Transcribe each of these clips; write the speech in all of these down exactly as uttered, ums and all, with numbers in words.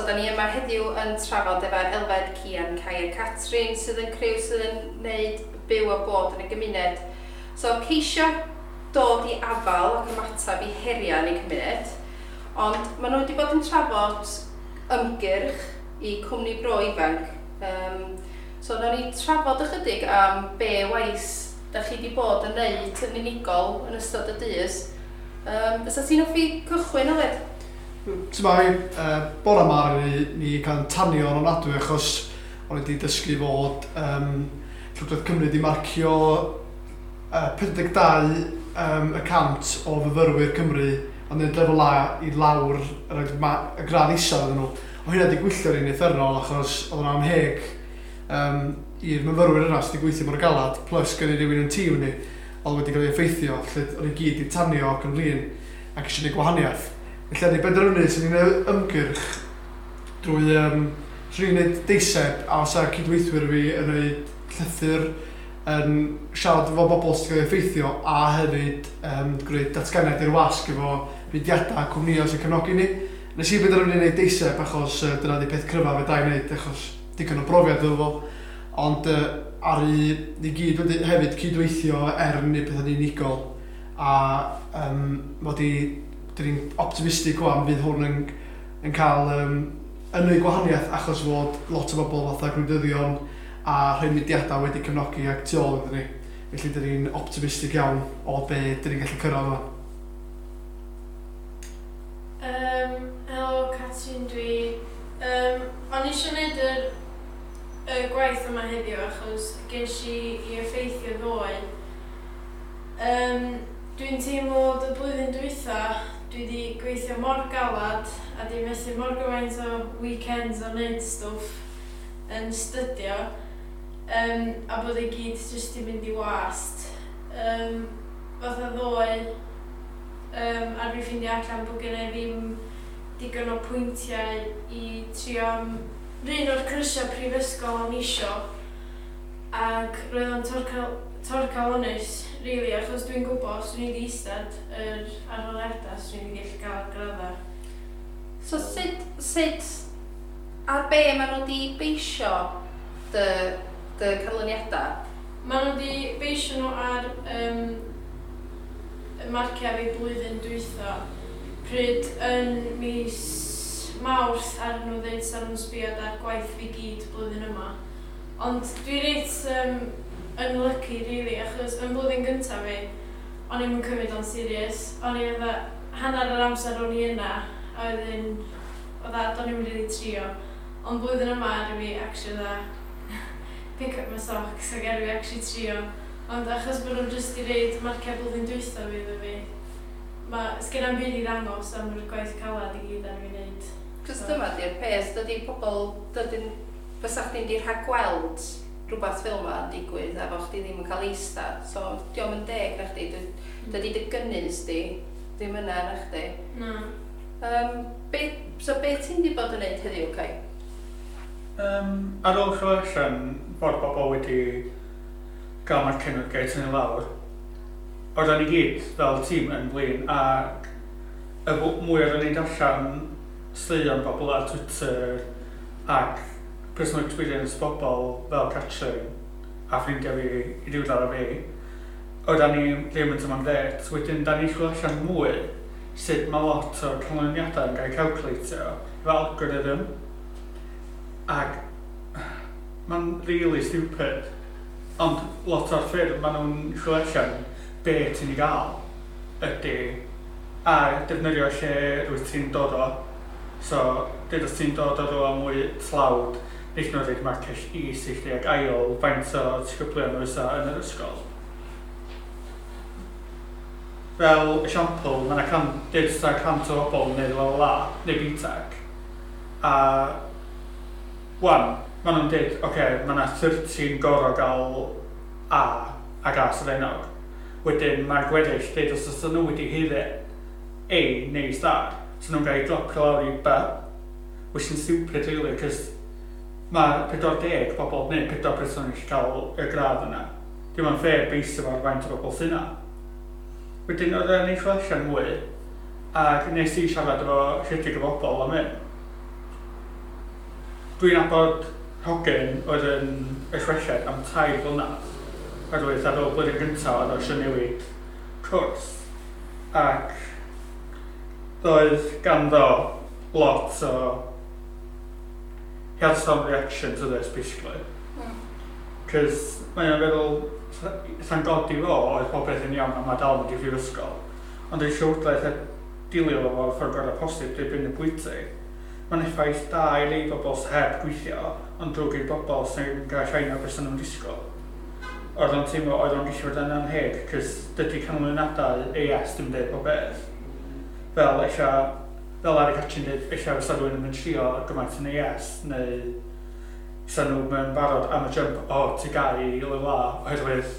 So, da ni yma heddiw yn trafod efo Elfed, Cian, Kai a Catrin sydd yn criw sydd yn wneud byw a bod yn y gymuned. So, ceisio dod i afal ac ymateb i heriau yn eu cymuned, ond maen nhw wedi bod yn trafod ymgyrch i Cwmni Bro Ifanc. Um, so, nawn ni trafod ychydig am be waith da chi wedi bod yn neud yn unigol yn ystod y dydd. Um, fysa ti'n hoffi cychwyn, Aled? T'mai, uh, bore yma ni, ni cael tanio yn ofnadwy achos o'n i wedi dysgu fod um, Llywodraeth Cymru wedi marcio uh, pedwar deg dau um, y cant o fyfyrwyr Cymru yn gwneud lefel A i lawr yr, y gradd isaf iddyn nhw. O hynna wedi gwylltio ni'n uffernol achos oedd yna amheg um, i'r myfyrwyr yna sydd wedi gweithio mor galad, plus gen i rywun yn tîm ni oedd wedi cael ei effeithio, lle o'n i gyd i tanio ac yn flin ac eisiau gwneud gwahaniaeth. Felly, ni benderfynu sy'n ni'n gwneud ymgyrch drwy, um, swn i'n gwneud deiseb a os cydweithwyr fi yn gwneud llythyr yn siarad efo bobl sydd wedi cael ei effeithio a hefyd um, gwneud datganiad i'r wasg efo mudiadau a cwmnïau sy'n cefnogi ni. Nes i benderfynu gwneud deiseb achos uh, dyna di peth cryfaf fedra i wneud achos digon o brofiad efo fo. Ond uh, ar i ni gyd wedi hefyd cydweithio er yn gwneud pethau'n unigol a um, mod i, dyn ni'n optimistig wan fydd hwn yn, yn cael um, yn neud gwahaniaeth achos fod lot o bobl fatha gwleidyddion a rhai mudiadau wedi cefnogi ac tu ôl iddyn ni. Felly dyn ni'n optimistig iawn o be dyn ni'n gallu cyrraedd yma. Um, helo, Catrin dwi. Um, o'n i eisiau gwneud yr, y gwaith yma heddiw achos ges i i effeithio ddoe. Um, dwi'n teimlo y blwyddyn dwytha dwi wedi gweithio mor galad a di methu mor gymaint o weekends o wneud stwff yn stydio um, a bod e gyd jyst i mynd i wast. Um, fatha ddoe, um, ar fi ffeindio allan bod gen i ddim digon o pwyntiau i trio am run o'r cyrsiau prifysgol o'n isio ac roedd o'n torcal, torcalonnus, really, achos dwi'n gwybod os dwi'n wedi eistedd yr arholiadau, swn i wedi gallu gael graddau. So sut, sut, ar be maen nhw wedi beisio dy, dy canlyniadau? Maen nhw wedi beisio nhw ar um, y marciau fi blwyddyn dwytha. Pryd yn mis Mawrth ar nhw ddeud sa'n nhw'n sbio ar gwaith fi gyd blwyddyn yma. Ond dwi reit um, unlucky, really, achos yn blwyddyn gyntaf fi, o'n i'm yn cymryd o'n serious. O'n i fatha, hanner yr amser o'n i yna, a wedyn, oedd a, do'n i'm really trio. Ond blwyddyn yma, ar fi actually dda, pick up my socks ac ar fi actually trio. Ond achos bod nhw'n just i reid marciau blwyddyn dwytha fi iddo fi, ma, sgen i'm byd i ddangos am yr gwaith calad i gyd ar fi wneud. Cos dyma di'r peth, dydy pobl, dydyn, fysa chdi'n di rhagweld rhywbeth fel yma yn digwydd a fo chdi ddim yn cael eistedd. So, dio'm yn deg na chdi, dy- dydy dy gynnydd di ddim yna na chdi. Na. Um, be, so be ti'n di bod yn neud heddiw, Kai? Um, ar ôl clywed allan fod bobl wedi gael marciau nhw gael tynnu lawr, oedden ni gyd fel tîm yn blin a y fw- mwy oedden ni'n darllen straeon bobl ar Twitter ac personal experience bobl fel Catrin a ffrindiau fi i ryw ar fi, oedden ni ddim yn teimlo'n grêt. Wedyn, da ni'n chwilio allan mwy sut mae lot o'r canlyniadau yn cael eu calculatio efo algorithm. Ac mae'n really stupid. Ond lot o'r ffyrdd maen nhw'n chwilio allan be ti'n ei gael ydy a defnyddio lle rwyt ti'n dod o. So, dyd os ti'n dod o rhywle mwy tlawd, wneud nhw rhaid marciau is i chdi ac ail faint o disgyblion oes yn yr ysgol. Fel esiampl, mae yna can, dyd os yna cant o bobl yn neud lefel A neu B Tec. A wan, maen nhw'n dweud, oce, okay, mae yna thirty gorau gael A ac A sylfaenog. Wedyn mae'r gweddill, dweud os oes nhw wedi haeddu A neu star, so nhw'n gael eu dropio lawr i B, which is stupid really, cos mae pedwar deg bobl neu pedwar person yn gallu cael y gradd yna. Dim ond fair beisio fo ar faint o bobl sy'n yna. Wedyn oedd e'n eich allan mwy, ac nes i siarad efo chydig o bobl am hyn. Dwi'n nabod hogyn oedd yn y chweched am tair blynedd, oherwydd ar ôl blwyddyn gyntaf oedd o eisiau newid cwrs. Ac doedd ganddo lot o... He had some reaction to this, basically. Cos mae o'n feddwl, sa'n godi fo, oedd popeth yn iawn a mae dal yn mynd i prifysgol. Ond ei llywodraeth heb dilio fo fo'r ffordd gorau posib drwy brynu bwyty. Mae'n effaith da i rei bobl sy'n heb gweithio, ond drwg i'r bobl sy'n gael llai na beth nhw'n disgwyl. Oedd o'n teimlo oedd o'n gallu fod yn anheg, cos dydy canlyniadau A S ddim dweud pob beth. Fel eisiau, fel Ari Catrin dweud, eisiau fysa rhywun yn mynd trio gymaint yn A S, neu fysa nhw mewn barod am y jump o T G A U i lefel A, oherwydd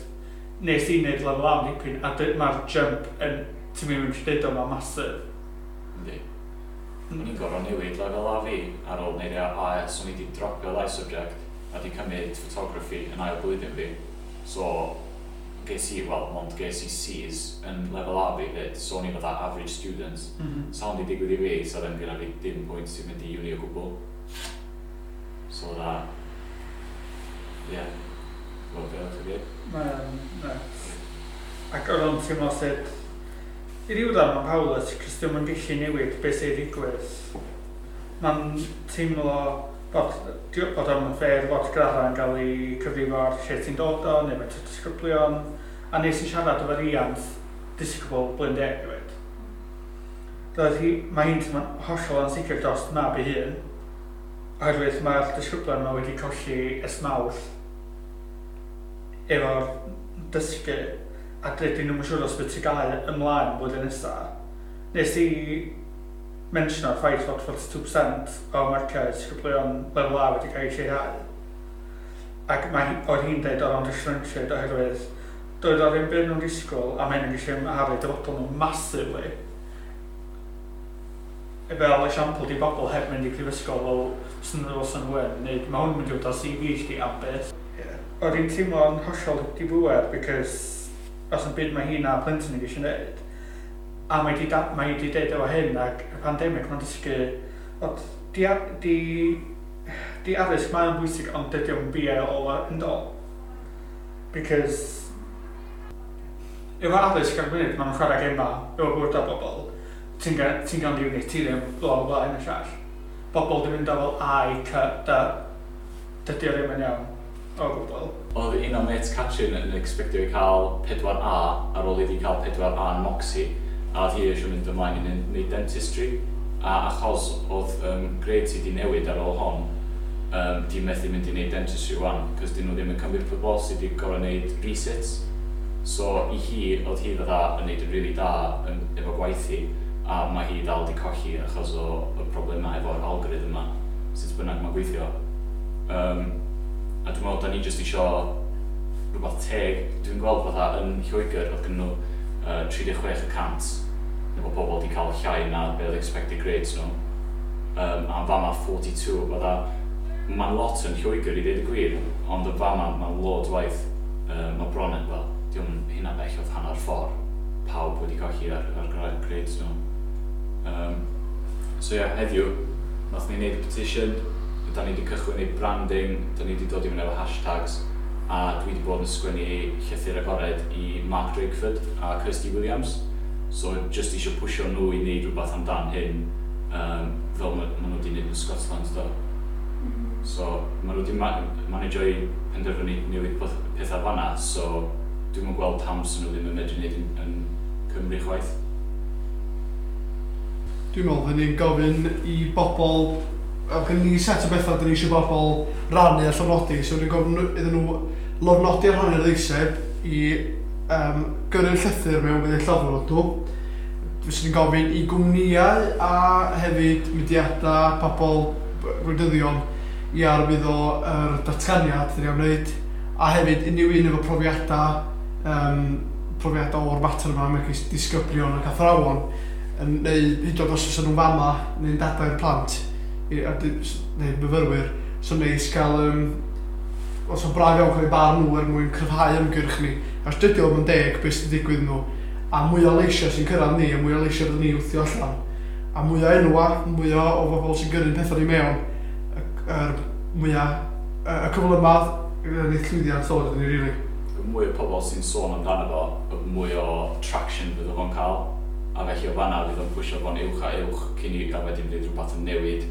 nes i wneud lefel A am dipyn, a mae'r jump yn, ti'n mynd mynd dweud o, mae'n massive. Yndi. O'n i'n gorfod newid lefel A fi ar ôl wneud A S, o'n i wedi dropio ddau subject a wedi cymryd photography yn ail blwyddyn fi. So, ges i, wel, mond ges i C's yn lefel A fi fyd, so o'n i fatha average student. Mm -hmm. Sa hwn wedi digwydd i fi, sa ddim gyda fi dim pwynt i fynd i uni o gwbl. So that, yeah, wel, beth o'ch chi? Mae'n nuts. Ac oedd o'n teimlo sut, i ryw radd mae'n powerless, cos dim yn gallu newid beth sy'n digwydd. Mae'n teimlo bod, bod o'n fair fod graddau yn cael ei cyfrifo ar lle ti'n dod o, neu faint o disgyblion. A nes i siarad efo riant disgybl blwyddyn deg hefyd. Roedd hi, mae hi'n teimlo'n hollol ansicr dros mab ei hun, oherwydd mae'r disgyblion yma wedi colli ers Mawrth efo'r dysgu a dydyn nhw'n siŵr os bydd T G A U ymlaen blwyddyn nesaf. Nes i mentiono'r ffaith fod forty-two percent o marciau disgyblion lefel A wedi cael ei lleihau. Ac mae hi, oedd hi'n dweud oedd o'n disgruntled oherwydd doedd o ddim byd nhw'n disgwyl a mae hyn yn gallu amharu dyfodol nhw massively. Fel esiampl di bobl heb mynd i prifysgol fel sy'n nhw sy'n nhw yn, neu mae hwn yn mynd i fod ar C V chdi am byth. Yeah. Oedd hi'n teimlo'n hollol dibŵer because os yn byd mae hi na plentyn yn gallu gwneud. A mae di, da, mae di deud efo hyn ac y pandemig mae'n dysgu bod di, di, di addysg mae'n bwysig ond dydy o'm be all end all. Because efo addysg ar y funud, maen nhw'n chwarae gema efo bywydau bobl. Ti'n ga- ti'n gael uni, ti ddim, bla bla bla, hyn y llall. Bobl di mynd o fel A i C, D. Dydy o ddim yn iawn o gwbl. Oedd un o mates Catrin yn expectio i cael pedwar A ar ôl iddi cael pedwar A yn Moxie, a oedd hi eisiau mynd ymlaen i wneud dentistry, a achos oedd um, grades hi di newid ar ôl hon, um, di methu mynd i wneud dentistry wan, cos dyn nhw ddim yn cymryd pobl sydd wedi gorfod wneud resits. So i hi, oedd hi fatha yn wneud yn really da yn, efo gwaith hi, a mae hi dal di colli achos o y problemau efo'r algorithm yma, sut bynnag mae'n gweithio. Um, a dwi'n meddwl, da ni jyst isio rhywbeth teg. Dwi'n gweld fatha yn Lloegr, oedd gen nhw uh, tri deg chwech y cant efo pobl wedi cael llai na be oedd expected grades nhw. Um, a fama forty-two, fatha, mae'n lot yn Lloegr i ddweud y gwir, ond y fama mae'n loads waith. Um, mae bron yn, wel, diolch hynna bell oedd hanner ffordd pawb wedi colli ar, ar grades nhw. Um, so ie, yeah, heddiw, nath ni wneud y petition, da ni wedi cychwyn ei branding, da ni wedi dod i fyny efo hashtags, a dwi wedi bod yn sgwennu llythyr agored i Mark Drakeford a Kirsty Williams. So just eisiau pwysio nhw i wneud rhywbeth amdan hyn, um, fel ma, ma nhw wedi wneud yn Scotland do. So ma nhw wedi ma managio i penderfynu newid pethau fanna, so dwi'm yn gweld pam sy'n nhw ddim yn medru wneud yn, yn Cymru chwaith. Dwi'n meddwl fydden ni'n gofyn i bobl, oedd gen ni set o bethau dyn ni eisiau bobl rannu a llofnodi, so ni'n gofyn iddyn nhw lofnodi ar rhannu'r ddeiseb i um, gyrru'r llythyr mewn bydd eu llofnod nhw. Fyswn ni'n gofyn i gwmnïau a hefyd mudiadau, pobl, gwleidyddion i arwyddo yr datganiad dyn ni am wneud, a hefyd unrhyw un efo profiadau, um, profiadau o'r mater yma, megis disgyblion ac athrawon, yn, neu hyd yn oed os oes nhw'n fama neu'n dadau i'r plant, i, a di- neu myfyrwyr, so neis cael, um, os o'n braf iawn cael eu barn nhw er mwyn cryfhau ymgyrch ni. Os dydy o'm yn deg beth sy'n digwydd nhw, a mwy o leisiau sy'n cyrraedd ni, a mwy o leisiau fyddwn ni wthio allan, a mwy o enwa, mwy o, o bobl sy'n gyrru'n pethau ni mewn, y, yr mwyaf, y cyflymaf wneud llwyddiant ddod ydyn ni, really. Y mwy o pobl sy'n sôn amdano fo, y mwy o traction fydd o'n cael. A felly o fanna fydd o'n pwysio fo'n uwch a uwch cyn i a wedyn fydd rhywbeth yn newid.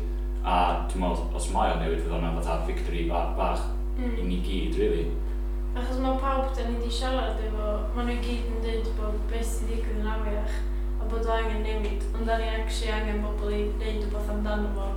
A dwi'n meddwl, os mae o'n newid, fydd o'n fatha victory bach mm. i ni gyd, really. Achos mae pawb da ni wedi siarad efo, maen nhw i gyd yn dweud bod beth sy'n digwydd yn afiach a bod o angen newid, ond da ni actually angen bobl i wneud rhywbeth amdano fo.